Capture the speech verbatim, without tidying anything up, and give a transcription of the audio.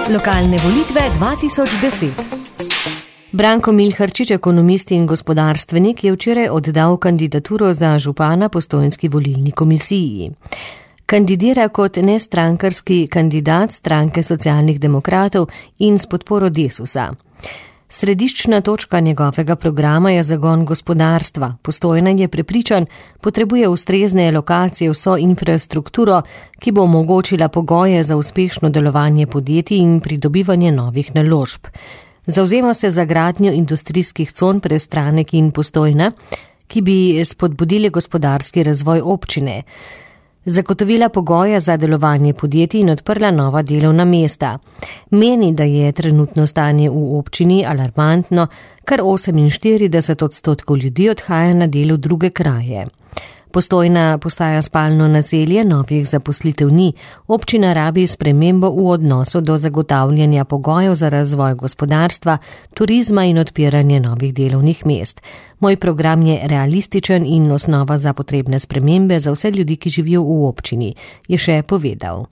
Lokalne volitve dva tisoč deset. Branko Milharčič, ekonomist in gospodarstvenik, je včeraj oddal kandidaturo za župana Postojnski volilni komisiji. Kandidira kot nestrankarski kandidat stranke socialnih demokratov in s podporo Desusa. Središčna točka njegovega programa je zagon gospodarstva. Postojna je prepričan, potrebuje ustrezne lokacije, vso infrastrukturo, ki bo omogočila pogoje za uspešno delovanje podjetij in pridobivanje novih naložb. Zavzema se za gradnjo industrijskih con Prestranek in Postojna, ki bi spodbudili gospodarski razvoj občine, zagotovila pogoje za delovanje podjetij in odprla nova delovna mesta. Meni, da je trenutno stanje v občini alarmantno, kar oseminštirideset odstotkov ljudi odhaja na delo v druge kraje. Postojna postaja spalno naselje, novih zaposlitev ni. Občina rabi spremembo v odnosu do zagotavljanja pogojev za razvoj gospodarstva, turizma in odpiranje novih delovnih mest. Moj program je realističen in osnova za potrebne spremembe za vse ljudi, ki živijo v občini, je še povedal.